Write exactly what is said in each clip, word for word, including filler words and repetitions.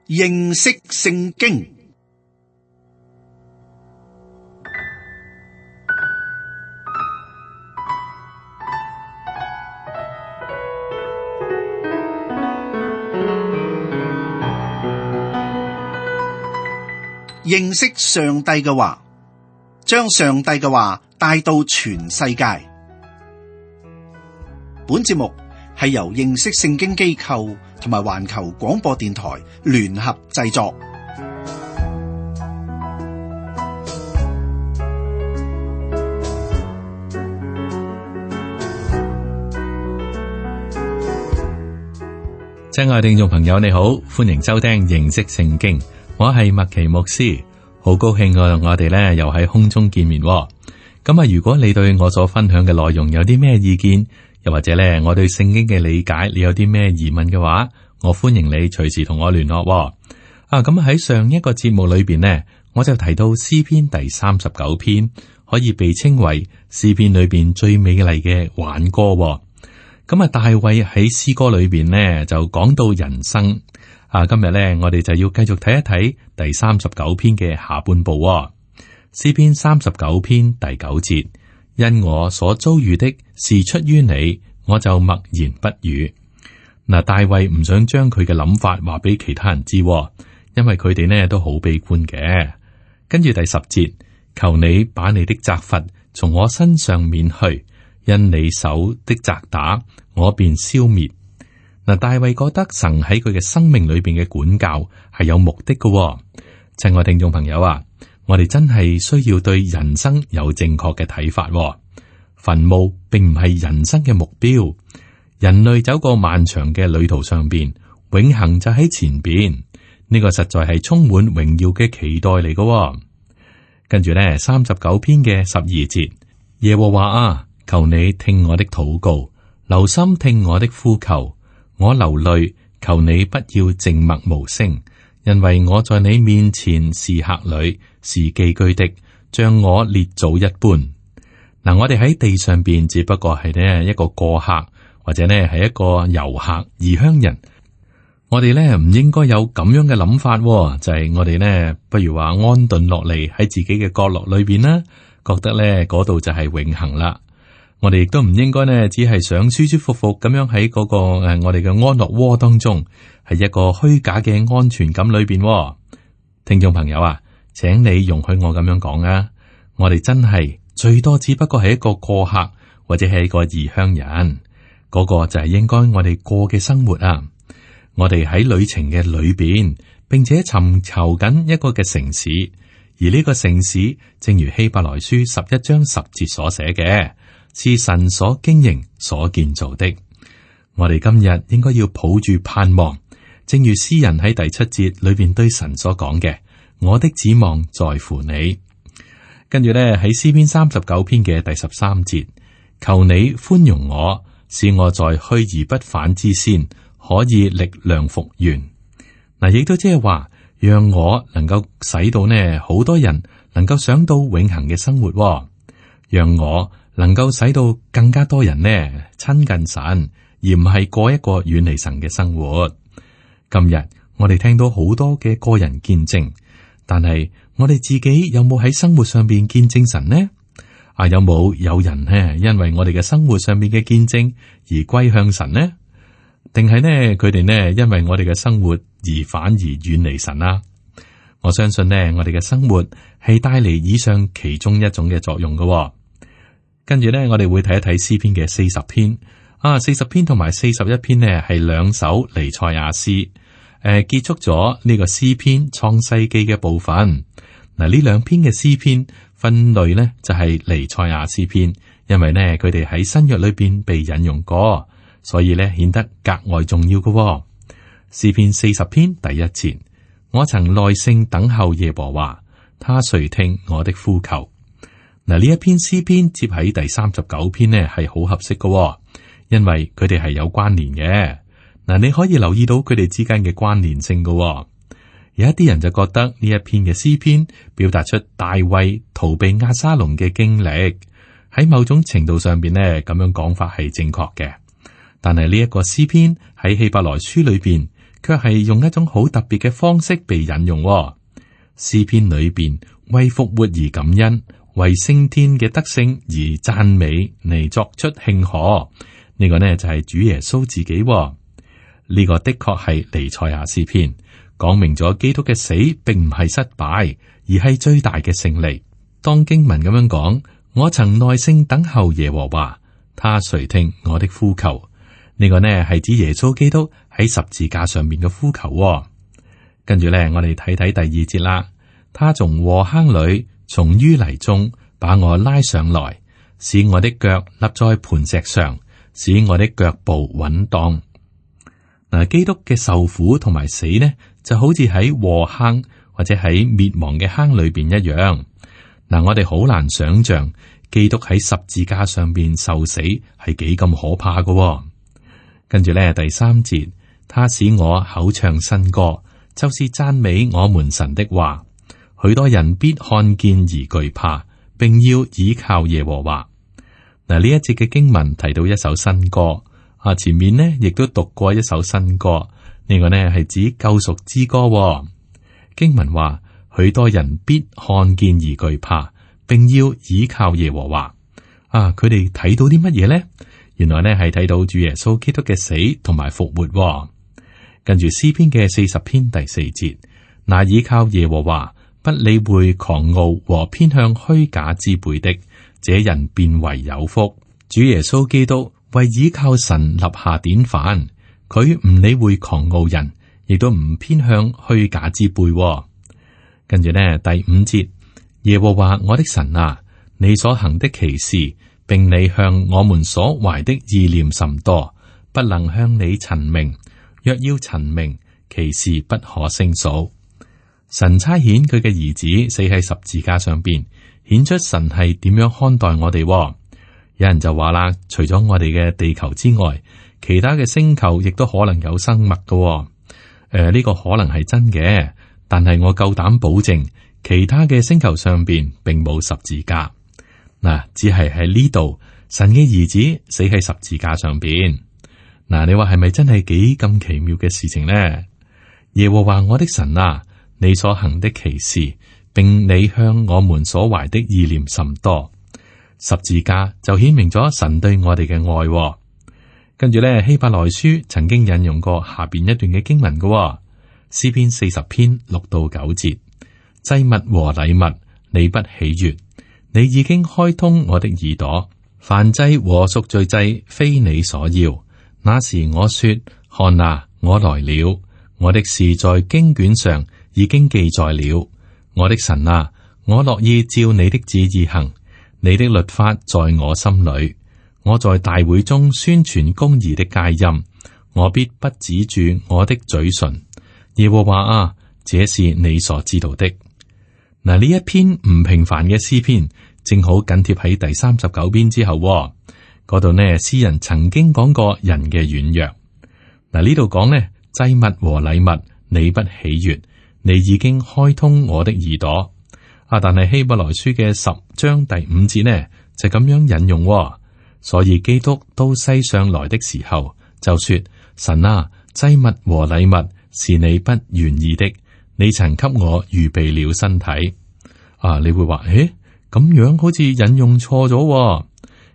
認識聖經。認識上帝嘅話，將上帝嘅話帶到全世界。本節目係由認識聖經機構同埋環球廣播電台聯合製作。親愛聽眾朋友，你好，歡迎收聽認識聖經。我係麥奇牧師，好高興我我哋咧又喺空中見面。咁啊，如果你對我所分享嘅內容有啲咩意見，又或者咧我對聖經嘅理解，你有啲咩疑問嘅話，我歡迎你隨時同我聯絡。啊，咁喺上一個節目裏邊呢，我就提到詩篇第三十九篇可以被稱為詩篇裏邊最美麗嘅挽歌。咁啊，大衛喺詩歌裏邊呢就講到人生。啊，今日咧，我哋就要繼續睇一睇第三十九篇嘅下半部。詩篇三十九篇第九節，因我所遭遇的是出於你，我就默然不語。嗱，大衛唔想將佢嘅諗法話俾其他人知，因為佢哋呢都好悲觀嘅。跟住第十節，求你把你的責罰從我身上免去，因你手的責打，我便消滅。嗱，大衛覺得神喺佢嘅生命裏邊嘅管教係有目的嘅。親愛聽眾朋友啊，我哋真係需要對人生有正確嘅睇法。墳墓並唔係人生嘅目標，人類走過漫長嘅旅途上邊，永恆就喺前邊。呢個實在係充滿榮耀嘅期待嚟嘅。跟住咧，三十九篇嘅十二節，耶和華啊，求你聽我的禱告，留心聽我的呼求。我流淚，求你不要靜默無聲，因為我在你面前是客旅，是寄居的，像我列祖一般。嗱，我哋喺地上邊只不過係呢一個過客，或者呢係一個遊客、異鄉人。我哋呢唔應該有咁樣嘅諗法，就係、是、我哋呢不如話安頓落嚟喺自己嘅角落裏邊啦，覺得呢嗰度就係永恆啦。我哋亦都唔應該呢，只係想舒舒服服咁樣喺嗰個誒，我哋嘅安樂窩當中，係一個虛假嘅安全感裏邊。聽眾朋友啊，請你容許我咁樣講啊，我哋真係最多只不過係一個過客，或者係一個異鄉人，嗰個就係應該我哋過嘅生活啊。我哋喺旅程嘅裏邊，並且尋求緊一個嘅城市，而呢個城市正如希伯來書十一章十節所寫嘅，是神所經營、所建造的。我哋今日應該要抱住盼望，正如詩人喺第七節裏邊對神所講嘅：我的指望在乎你。跟住咧喺詩篇三十九篇嘅第十三節，求你寬容我，使我在去而不返之先，可以力量復原。嗱，亦都即係話，讓我能夠使到呢好多人能夠想到永恆嘅生活，讓我能夠使到更加多人呢親近神，而唔係過一個遠離神嘅生活。今日我哋聽到好多嘅個人見證，但係我哋自己有冇喺生活上邊見證神呢？啊，有冇有人呢因為我哋嘅生活上邊嘅見證而歸向神呢？定係呢佢哋呢因為我哋嘅生活而反而遠離神啊？我相信呢我哋嘅生活係帶嚟以上其中一種嘅作用嘅。跟住咧，我哋會睇一睇詩篇嘅四十篇啊，四十篇同埋四十一篇呢係兩首彌賽亞詩，誒、呃，結束咗呢個詩篇創世記嘅部分。嗱，呢兩篇嘅詩篇分類呢就係、是、彌賽亞詩篇，因為呢佢哋喺新約裏邊被引用過，所以呢顯得格外重要嘅。詩篇四十篇第一節，我曾耐性等候耶和華，他垂聽我的呼求。嗱，呢一篇詩篇接喺第三十九篇呢係好合適嘅，因為佢哋係有關聯嘅。嗱，你可以留意到佢哋之間嘅關聯性嘅。有一啲人就覺得呢一篇嘅詩篇表達出大衛逃避押沙龍嘅經歷，喺某種程度上邊呢，咁樣講法係正確嘅。但係呢一個詩篇喺希伯來書裏邊，卻係用一種好特別嘅方式被引用、哦。詩篇裏邊為復活而感恩，為升天嘅得勝而讚美嚟作出慶賀。呢、這個呢就係、是、主耶穌自己、哦。呢、這個的確係彌賽亞詩篇，講明咗基督嘅死並唔係失敗，而係最大嘅勝利。當經文咁樣講，我曾耐性等候耶和華，他垂聽我的呼求。呢、這個呢係指耶穌基督喺十字架上面嘅呼求、哦。跟住咧，我哋睇睇第二節啦。他從禍坑裏，從淤泥中把我拉上來，使我的腳立在磐石上，使我的腳步穩當。嗱，基督嘅受苦同埋死呢，就好似喺禍坑或者喺滅亡嘅坑裏邊一樣。嗱，我哋好難想象基督喺十字架上邊受死係幾咁可怕噶、哦。跟住咧，第三節，他使我口唱新歌。就是讚美我們神的話，許多人必看見而懼怕，並要倚靠耶和華。嗱，呢一節嘅經文提到一首新歌，啊，前面呢亦都讀過一首新歌，呢、這個呢係指救贖之歌、哦。經文話，許多人必看見而懼怕，並要倚靠耶和華。啊，佢哋睇到啲乜嘢呢？原來呢係睇到主耶穌基督嘅死同埋復活、哦。跟住詩篇嘅四十篇第四節，那倚靠耶和華，不理會狂傲和偏向虛假之輩的，這人便為有福。主耶穌基督為倚靠神立下典範，佢唔理會狂傲人，亦都唔偏向虛假之輩。跟住呢，第五節，耶和華我的神啊，你所行的奇事，並你向我們所懷的意念甚多，不能向你陳明。若要陳明，其事不可勝數。神差遣佢嘅兒子死喺十字架上邊，顯出神係點樣看待我哋。有人就話啦，除咗我哋嘅地球之外，其他嘅星球亦都可能有生物噶。誒、呃，呢、這個可能係真嘅，但係我夠膽保證，其他嘅星球上邊並冇十字架。嗱，只係喺呢度，神嘅兒子死喺十字架上邊。嗱，你話係咪真係幾咁奇妙嘅事情呢？耶和華我的神啊，你所行的奇事，並你向我們所懷的意念甚多。十字架就顯明咗神對我哋嘅愛、哦。跟住咧，希伯來書曾經引用過下邊一段嘅經文嘅、哦，詩篇四十篇六到九節，祭物和禮物你不喜悅，你已經開通我的耳朵，燔祭和贖罪祭非你所要。那時我說：看啊，我來了，我的事在經卷上已經記載了。我的神啊，我樂意照你的旨意行，你的律法在我心裏。我在大會中宣傳公義的佳音，我必不止住我的嘴唇。耶和華啊，這是你所知道的。嗱，呢一篇唔平凡嘅詩篇，正好緊貼喺第三十九篇之後、哦。嗰度呢，詩人曾經講過人嘅軟弱。嗱，呢度講呢，祭物和禮物你不喜悅，你已經開通我的耳朵。啊，但係希伯來書嘅十章第五節呢，就咁樣引用、哦。所以基督到世上來的時候，就說：神啊，祭物和禮物是你不願意的，你曾給我預備了身體。啊，你會話，誒，咁樣好似引用錯咗、哦。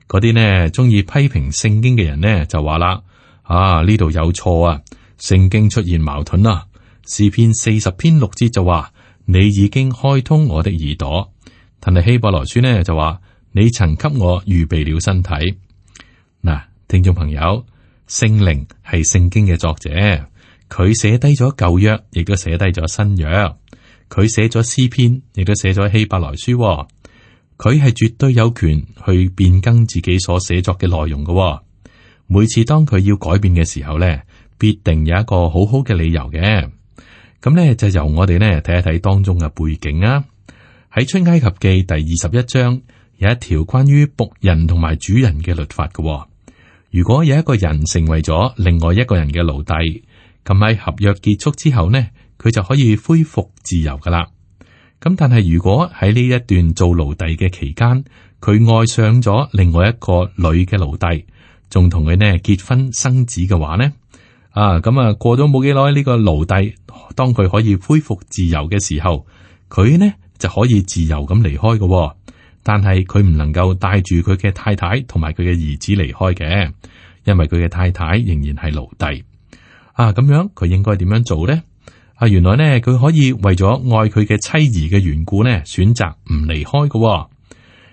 嗰啲呢，中意批評聖經嘅人呢，就話啦：啊，呢度有錯啊，聖經出現矛盾啦。詩篇四十篇六節就話：你已經開通我的耳朵。但係希伯來書呢就話：你曾給我預備了身體。嗱，聽眾朋友，聖靈係聖經嘅作者，佢寫低咗舊約，亦都寫低咗新約。佢寫咗詩篇，亦都寫咗希伯來書、哦。佢係絕對有權去變更自己所寫作嘅內容嘅、哦。每次當佢要改變嘅時候咧，必定有一個好好嘅理由嘅。咁咧就由我哋咧睇一睇當中嘅背景啊。喺出埃及記第二十一章有一條關於僕人同埋主人嘅律法嘅、哦。如果有一個人成為咗另外一個人嘅奴隸，咁喺合約結束之後呢，佢就可以恢復自由噶啦。咁但係如果喺呢一段做奴隸嘅期間，佢愛上咗另外一個女嘅奴隸，仲同佢呢結婚生子嘅話呢，啊，咁啊過咗冇幾耐，呢個奴隸當佢可以恢復自由嘅時候，佢呢就可以自由咁離開嘅。但係佢唔能夠帶住佢嘅太太同埋佢嘅兒子離開嘅，因為佢嘅太太仍然係奴隸。啊，咁樣佢應該點樣做呢？啊，原來呢佢可以為咗愛佢嘅妻兒嘅緣故呢，選擇唔離開嘅。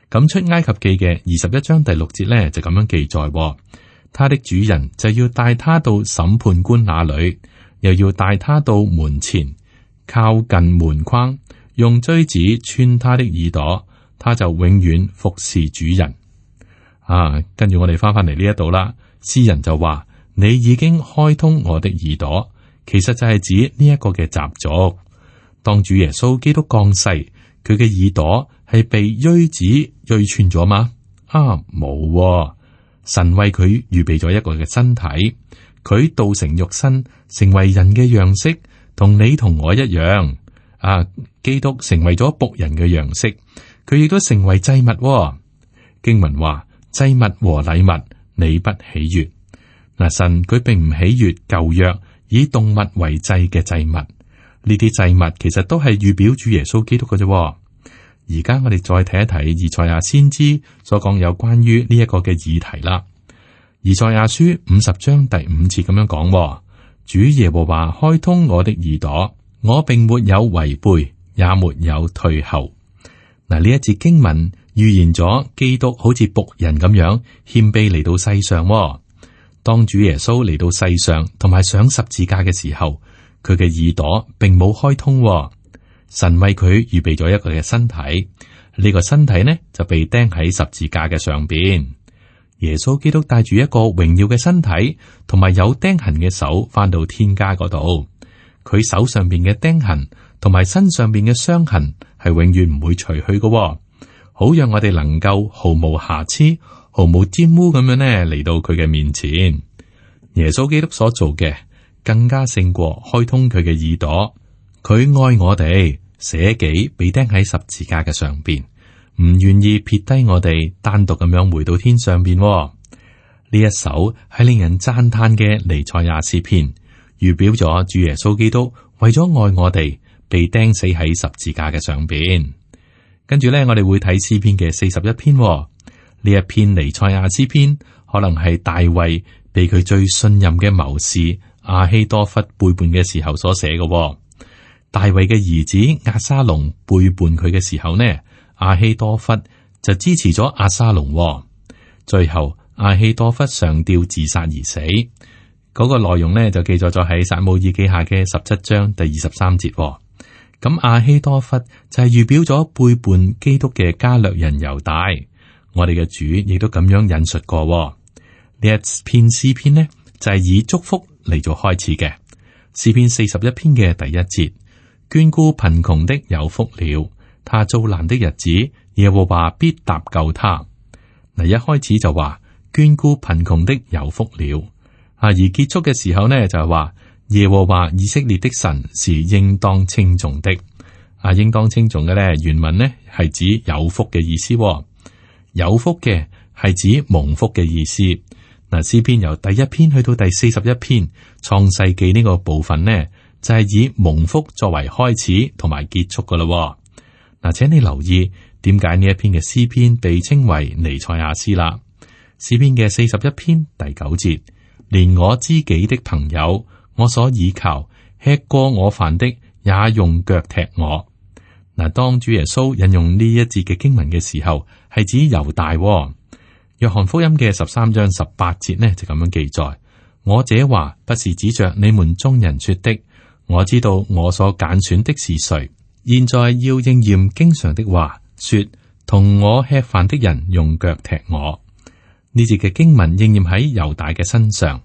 咁出埃及記嘅二十一章第六節呢就咁樣記載，他的主人就要帶他到審判官那裏，又要帶他到門前，靠近門框，用錐子穿他的耳朵。他就永遠服侍主人。啊，跟住我哋翻返嚟呢一度啦。詩人就話：你已經開通我的耳朵，其實就係指呢一個嘅習俗。當主耶穌基督降世，佢嘅耳朵係被錐子錐穿咗嗎？啊，冇、哦。神為佢預備咗一個嘅身體，佢道成肉身，成為人嘅樣式，同你同我一樣。啊，基督成為咗僕人嘅樣式。佢亦都成為祭物、哦。經文話：祭物和禮物你不喜悅。嗱，神佢並唔喜悅舊約以動物為祭嘅祭物。呢啲祭物其實都係預表主耶穌基督嘅啫。而家我哋再睇一睇以賽亞先知所講有關於呢一個嘅議題啦。以賽亞書五十章第五節咁樣講：主耶和華開通我的耳朵，我並沒有違背，也沒有退後。嗱，呢一節經文預言咗基督好似僕人咁樣謙卑嚟到世上。當主耶穌嚟到世上同埋上十字架嘅時候，佢嘅耳朵並冇開通。神為佢預備咗一個嘅身體，呢個身體呢就被釘喺十字架嘅上邊。耶穌基督帶住一個榮耀嘅身體同埋有釘痕嘅手翻到天家嗰度，佢手上邊嘅釘痕同埋身上邊嘅傷痕係永遠唔會除去嘅，好讓我哋能夠毫無瑕疵、毫無沾污咁樣呢嚟到佢嘅面前。耶穌基督所做嘅更加勝過開通佢嘅耳朵，佢愛我哋，捨己被釘喺十字架嘅上邊，唔願意撇低我哋，單獨咁樣回到天上邊。呢一首係令人讚嘆嘅彌賽亞詩篇，預表咗主耶穌基督為咗愛我哋，被釘死喺十字架嘅上邊。跟住咧，我哋會睇詩篇嘅四十一篇。呢一篇彌賽亞詩篇，可能係大衛被佢最信任嘅謀士亞希多弗背叛嘅時候所寫嘅。大衛嘅兒子押沙龍背叛佢嘅時候呢，亞希多弗就支持咗押沙龍。最後亞希多弗上吊自殺而死。嗰、那個內容呢，就記載咗喺撒母耳記下嘅十七章第二十三節。咁亞希多弗就係預表咗背叛基督嘅加略人猶大。我哋嘅主亦都咁樣引述過。呢一篇詩篇呢，就係以祝福嚟做開始嘅。詩篇四十一篇嘅第一節，眷顧貧窮的有福了，他遭難的日子，耶和華必搭救他。嗱，一開始就話眷顧貧窮的有福了，啊，而結束嘅時候呢，就係話耶和華以色列的神是應當稱頌的。啊，應當稱頌嘅咧，原文呢係指有福嘅意思。有福嘅係指蒙福嘅意思。嗱，詩篇由第一篇去到第四十一篇創世紀呢個部分呢，就係以蒙福作為開始同埋結束噶啦。嗱，請你留意點解呢一篇嘅詩篇被稱為彌賽亞詩啦。詩篇嘅四十一篇第九節，連我知己的朋友，我所倚靠，吃過我飯的，也用腳踢我。嗱，當主耶穌引用呢一節嘅經文嘅時候，係指猶大。約翰福音嘅十三章十八節呢，就咁樣記載：我這話不是指着你們眾人說的，我知道我所揀選的是誰。現在要應驗經上的話，說同我吃飯的人用腳踢我。呢節嘅經文應驗喺猶大嘅身上，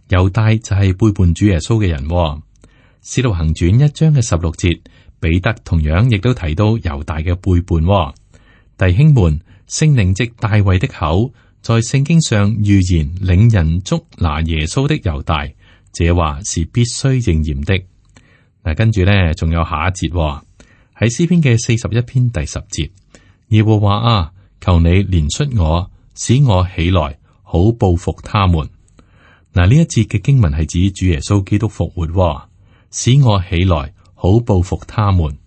猶大就係背叛主耶穌嘅人。使徒行傳一章嘅十六節，彼得同樣亦都提到猶大嘅背叛。弟兄們，聖靈藉大衛的口，在聖經上預言領人捉拿耶穌的猶大，這話是必須應驗的。嗱，跟住咧，仲有下一節喺詩篇嘅四十一篇第十節，耶和華啊，求你憐恤我，使我起來，好報復他們。嗱，呢一節嘅經文係指主耶穌基督復活，使我起來好報復他們。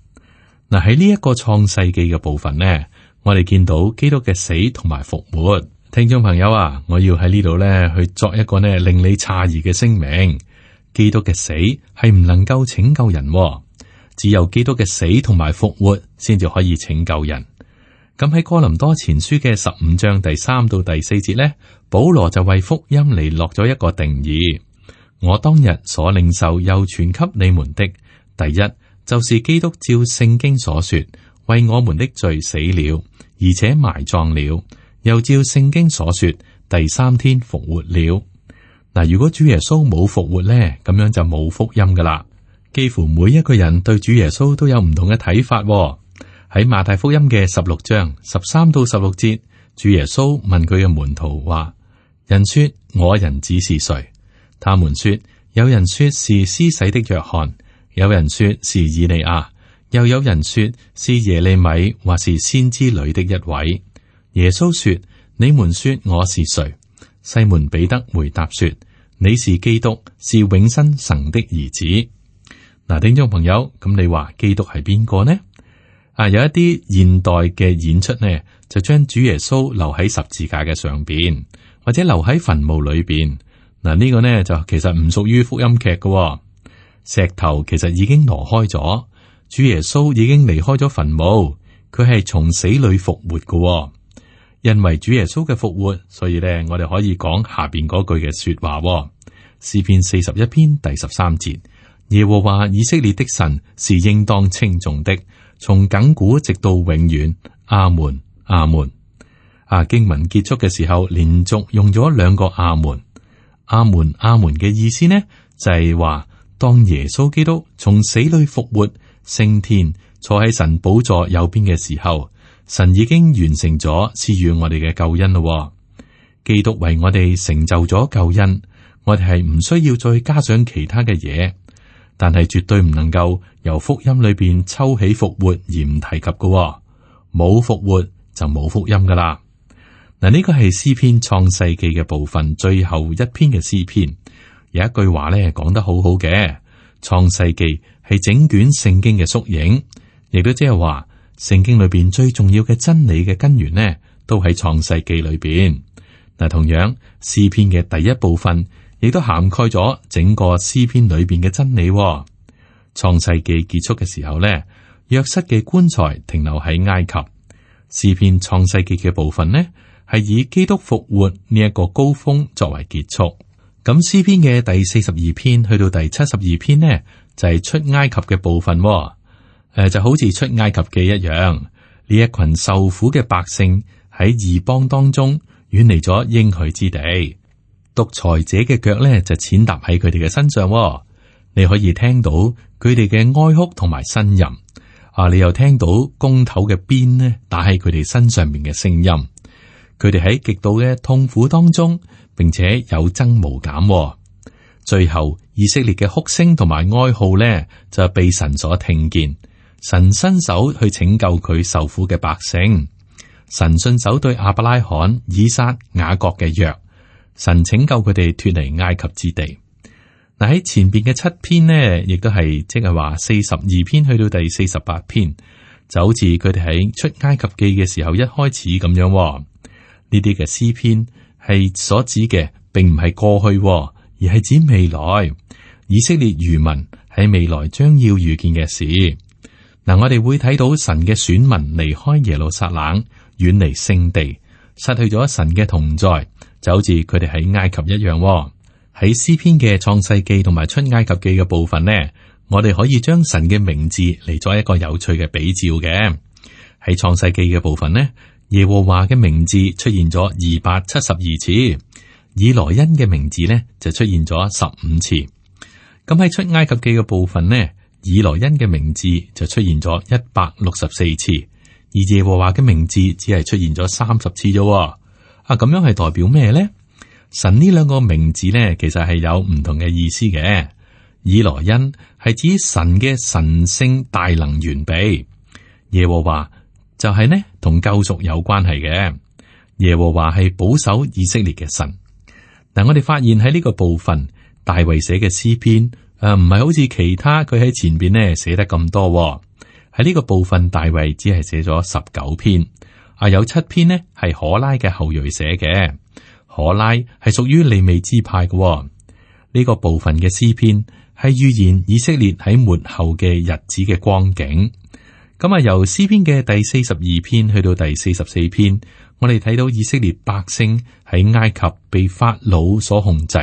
嗱，喺呢一個創世紀嘅部分呢，我哋見到基督嘅死同埋復活。聽眾朋友啊，我要喺呢度呢去作一個呢令你詫異嘅聲明：基督嘅死係唔能夠拯救人，只有基督嘅死同埋復活先至可以拯救人。咁喺哥林多前書嘅十五章第三到第四節呢，保羅就為福音嚟落咗一個定義：我當日所領受又傳給你們的，第一就是基督照聖經所說，為我們的罪死了，而且埋葬了，又照聖經所說，第三天復活了。嗱，如果主耶穌冇復活呢，咁樣就冇福音噶啦。幾乎每一個人對主耶穌都有唔同嘅睇法。喺馬太福音嘅十六章十三到十六節，主耶穌問佢嘅門徒話：人說我人子是誰？他們說，有人說是施洗的約翰，有人說是以利亞，又有人說是耶利米或是先知裏的一位。耶穌說：你們說我是誰？西門彼得回答說：你是基督，是永生神的兒子。嗱，聽眾朋友，咁你話基督係邊個呢？啊，有一啲現代嘅演出呢，就將主耶穌留喺十字架嘅上邊，或者留喺墳墓裏邊。嗱，呢個呢就其實唔屬於福音劇嘅。石頭其實已經挪開咗，主耶穌已經離開咗墳墓，佢係從死裏復活嘅。因為主耶穌嘅復活，所以呢，我哋可以講下邊嗰句嘅說話。詩篇四十一篇第十三節：耶和華以色列的神是應當稱頌的，從亙古直到永遠。阿門，阿門。啊，經文結束嘅時候，連續用咗兩個阿門。阿門，阿門嘅意思呢，就係話當耶穌基督從死裏復活升天，坐喺神寶座右邊嘅時候，神已經完成咗賜予我哋嘅救恩咯。基督為我哋成就咗救恩，我哋係唔需要再加上其他嘅嘢。但係絕對唔能夠由福音裏邊抽起復活而唔提及嘅，冇復活就冇福音噶啦。嗱，呢個係詩篇創世記嘅部分最後一篇嘅詩篇，有一句話咧講得好好嘅，創世記係整卷聖經嘅縮影，亦都即係話聖經裏邊最重要嘅真理嘅根源呢，都喺創世記裏邊。嗱，同樣詩篇嘅第一部分，亦都涵蓋咗整個詩篇裏邊嘅真理。創世記結束嘅時候呢，約瑟嘅棺材停留喺埃及。詩篇創世記嘅部分呢，係以基督復活呢一個高峰作為結束。咁詩篇嘅第四十二篇去到第七十二篇呢，就係、是、出埃及嘅部分。誒、呃，就好似出埃及記一樣，呢一群受苦嘅百姓喺異邦當中遠離咗應許之地。獨裁者嘅腳咧就踐踏喺佢哋嘅身上。你可以聽到佢哋嘅哀哭同埋呻吟啊！你又聽到弓頭嘅鞭呢打喺佢哋身上面嘅聲音。佢哋喺極度嘅痛苦當中，並且有增無減。最後以色列嘅哭聲同埋哀號咧就被神所聽見，神伸手去拯救佢受苦嘅百姓。神順手對亞伯拉罕、以撒、雅各嘅約。神拯救佢哋脫離埃及之地。嗱，喺前邊嘅七篇呢，亦都係即係話四十二篇去到第四十八篇，就好似佢哋喺出埃及記嘅時候一開始咁樣。呢啲嘅詩篇係所指嘅，並唔係過去，而係指未來以色列餘民喺未來將要遇見嘅事。嗱，我哋會睇到神嘅選民離開耶路撒冷，遠離聖地，失去咗神嘅同在。就好似佢哋喺埃及一樣。喺詩篇嘅創世記同埋出埃及記嘅部分呢，我哋可以將神嘅名字嚟作一個有趣嘅比照嘅。喺創世記嘅部分呢，耶和華嘅名字出現咗二百七十二次，以羅恩嘅名字呢就出現咗十五次。咁喺出埃及記嘅部分呢，以羅恩嘅名字就出現咗一百六十四次，而耶和華嘅名字只係出現咗三十次啫。啊，咁樣係代表咩咧？神呢兩個名字咧，其實係有唔同嘅意思嘅。以羅恩係指神嘅神聖大能完備，耶和華就係呢同救贖有關係嘅。耶和華係保守以色列嘅神。嗱，我哋發現喺呢個部分，大衛寫嘅詩篇誒，唔係好似其他佢喺前邊呢寫得咁多喎。喺呢個部分，大衛只係寫咗十九篇，啊，有七篇呢係可拉嘅後裔寫嘅。可拉係屬於利未支派嘅喎。呢、這個部分嘅詩篇係預言以色列喺末後嘅日子嘅光景。咁啊，由詩篇嘅第四十二篇去到第四十四篇，我哋睇到以色列百姓喺埃及被法老所控制。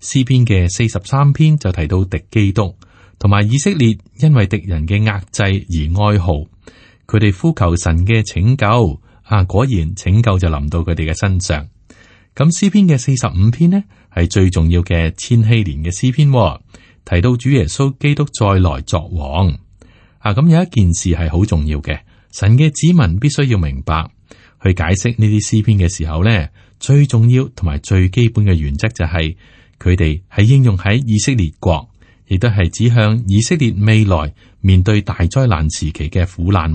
詩篇嘅四十三篇就提到敵基督。同埋以色列因為敵人嘅壓制而哀號，佢哋呼求神嘅拯救，啊，果然拯救就臨到佢哋嘅身上。咁詩篇嘅四十五篇呢，係最重要嘅千禧年嘅詩篇，提到主耶穌基督再來作王。啊，咁有一件事係好重要嘅，神嘅子民必須要明白，去解釋呢啲詩篇嘅時候呢，最重要同埋最基本嘅原則就係佢哋係應用喺以色列國。亦都係指向以色列未來面對大災難時期嘅苦難，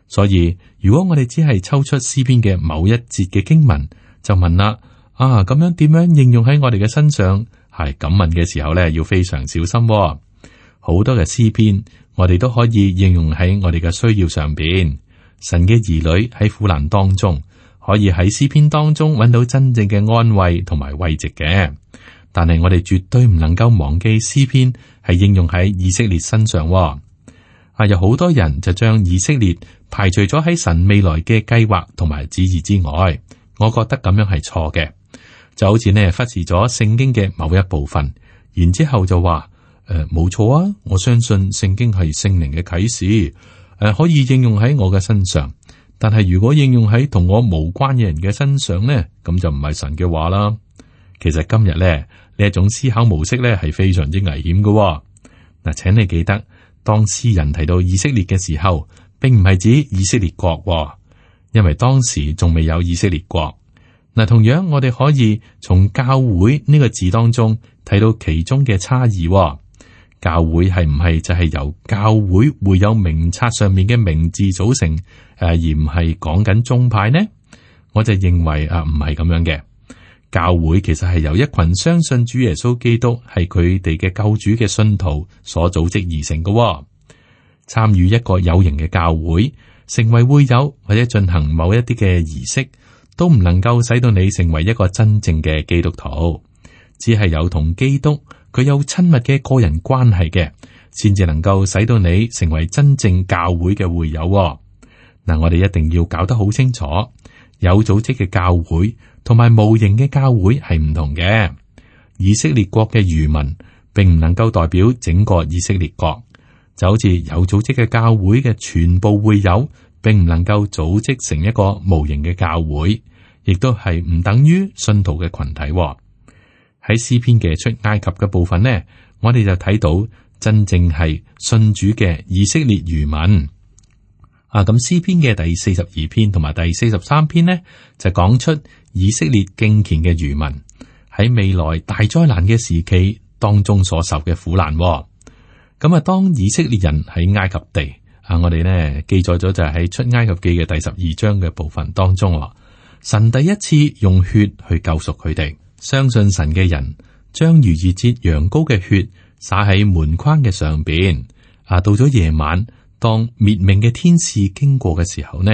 所以如果我哋只係抽出詩篇嘅某一節嘅經文，就問啦，啊，咁樣點樣應用喺我哋嘅身上？係咁問嘅時候咧，要非常小心。好多嘅詩篇，我哋都可以應用喺我哋嘅需要上邊。神嘅兒女喺苦難當中，可以喺詩篇當中揾到真正嘅安慰同埋慰藉嘅。但係我哋絕對唔能夠忘記詩篇係應用喺以色列身上。啊，有好多人就將以色列排除咗喺神未來嘅計劃同埋旨意之外，我覺得咁樣係錯嘅。就好似呢忽視咗聖經嘅某一部分，然之後就話誒冇錯啊，我相信聖經係聖靈嘅啟示，誒、呃、可以應用喺我嘅身上。但係如果應用喺同我無關嘅人嘅身上呢，咁就唔係神嘅話啦。其實今日咧，呢一種思考模式咧係非常之危險嘅、哦。嗱，請你記得，當詩人提到以色列嘅時候，並唔係指以色列國、哦，因為當時仲未有以色列國。嗱，同樣我哋可以從教會呢個字當中睇到其中嘅差異、哦。教會係唔係就係由教會會有名冊上面嘅名字組成，誒，而唔係講緊宗派呢？我就認為啊，唔係咁樣嘅。教會其實係由一群相信主耶穌基督係佢哋嘅救主嘅信徒所組織而成嘅、哦。參與一個有形嘅教會，成為會友或者進行某一啲嘅儀式，都唔能夠使到你成為一個真正嘅基督徒。只係有同基督佢有親密嘅個人關係嘅，先至能夠使到你成為真正教會嘅會友、哦。嗱，我哋一定要搞得好清楚，有組織嘅教會同埋無形嘅教會係唔同嘅。以色列國嘅餘民並唔能夠代表整個以色列國，就好似有組織嘅教會嘅全部會友，並唔能夠組織成一個無形嘅教會，亦都係唔等於信徒嘅群體。喺詩篇嘅出埃及嘅部分呢，我哋就睇到真正係信主嘅以色列餘民。啊，咁詩篇嘅第四十二篇同埋第四十三篇呢，就講出以色列敬虔嘅餘民喺未來大災難嘅時期當中所受嘅苦難。咁啊，當以色列人喺埃及地，啊，我哋呢記載咗就係喺出埃及記嘅第十二章嘅部分當中，神第一次用血去救贖佢哋。相信神嘅人將逾越節羊羔嘅血灑喺門框嘅上邊。啊，到咗夜晚，當滅命嘅天使經過嘅時候呢，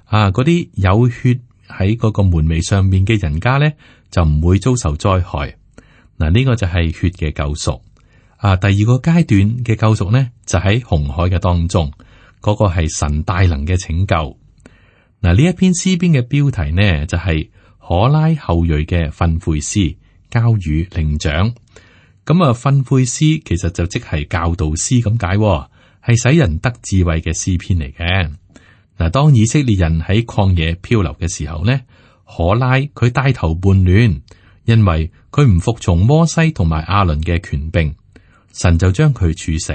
啊，嗰啲有血喺嗰個門楣上面嘅人家呢，就唔會遭受災害。嗱，呢個就係血嘅救贖。啊，第二個階段嘅救贖呢，就喺紅海嘅當中，嗰個係神大能嘅拯救。嗱，呢一篇詩篇嘅標題呢，就係可拉後裔嘅訓誨詩，交與伶長。咁啊，訓誨詩其實就即係教導詩咁解，係使人得智慧嘅詩篇嚟嘅。嗱，當以色列人喺曠野漂流嘅時候呢，可拉佢帶頭叛亂，因為佢唔服從摩西同埋亞倫嘅權柄，神就將佢處死，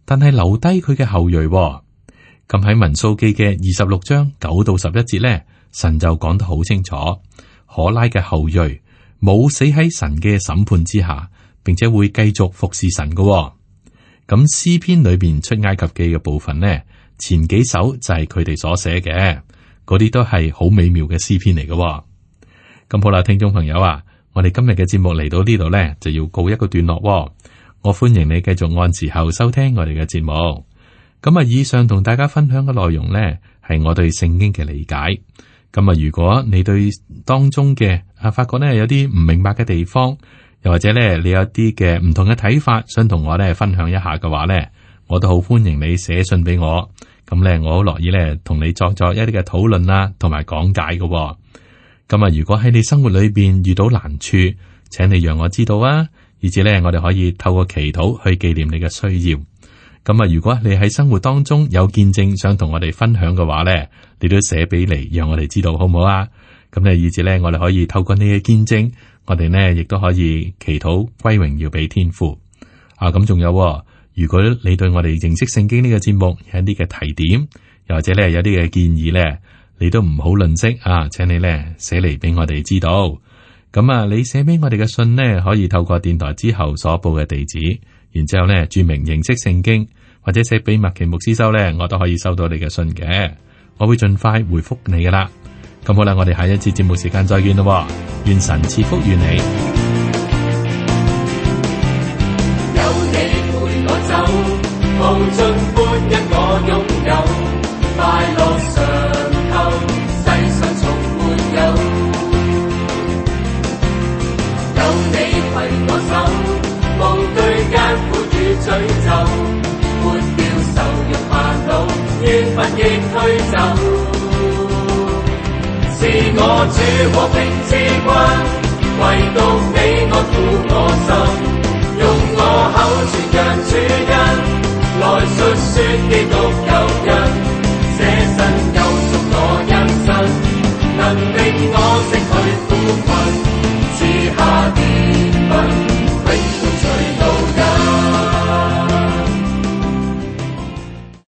但係留低佢嘅後裔。咁喺民數記嘅二十六章九到十一節呢，神就講得好清楚，可拉嘅後裔冇死喺神嘅審判之下，並且會繼續服侍神嘅。咁詩篇裏邊出埃及記嘅部分呢，前幾首就係佢哋所寫嘅，嗰啲都係好美妙嘅詩篇嚟嘅。咁好啦，聽眾朋友啊，我哋今日嘅節目嚟到呢度呢，就要告一個段落喎。我歡迎你繼續按時候收聽我哋嘅節目。咁啊，以上同大家分享嘅內容呢，係我對聖經嘅理解。咁啊，如果你對當中嘅啊發覺呢有啲唔明白嘅地方，又或者呢你有啲嘅唔同嘅睇法，想同我呢分享一下嘅話呢，我都好歡迎你寫信俾我。咁呢，我好樂意呢同你作作一啲嘅討論啦，同埋講解嘅喎。咁啊，如果喺你生活裏邊遇到難處，請你讓我知道啊，以至呢我哋可以透過祈禱去紀念你嘅需要。咁啊，如果你喺生活當中有見證想同我哋分享嘅話呢，你都寫俾嚟，讓我哋知道好唔好啊？咁呢，以至呢我哋可以透過你嘅見證，我哋呢亦都可以祈禱歸榮耀俾天父啊。咁仲有，如果你對我哋認識聖經呢個節目有一啲嘅提點，又或者呢有啲嘅建議呢，你都唔好吝嗇啊，請你呢寫嚟俾我哋知道。咁啊，你寫俾我哋嘅信呢，可以透過電台之後所報嘅地址，然之後呢注明認識聖經，或者寫俾麥奇牧師收呢，我都可以收到你嘅信嘅，我會盡快回覆你噶啦。咁好啦，我哋下一次節目時間再見咯，願神賜福與你。有你陪我走，無盡歡欣我擁有，快樂常透，世上從沒有。有你攜我手，無懼艱苦與詛咒。抹掉愁容煩惱，怨憤亦驅走。是我主和平之君，唯獨你安撫我心，用我口傳揚主恩，來述說基督。